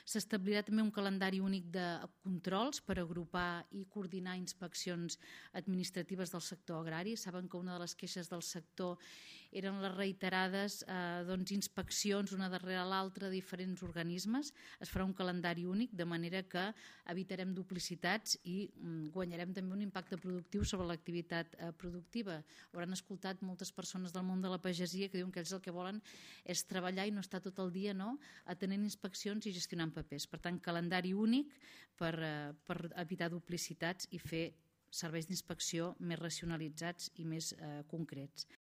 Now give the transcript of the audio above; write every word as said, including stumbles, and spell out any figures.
S'establirà també un calendari únic de controls per agrupar i coordinar inspeccions administratives del sector agrari. Saben que una de les queixes del sector eren les reiterades eh, doncs, inspeccions una darrere l'altra de diferents organismes. Es farà un calendari únic, de manera que evitarem duplicitats i mm, guanyarem també un impacte productiu sobre l'activitat eh, productiva. Hauran escoltat moltes persones del món de la pagesia que diuen que ells el que volen és treballar i no estar tot el dia no, atenent inspeccions i gestionant papers. Per tant, calendari únic per, eh, per evitar duplicitats i fer serveis d'inspecció més racionalitzats i més eh, concrets.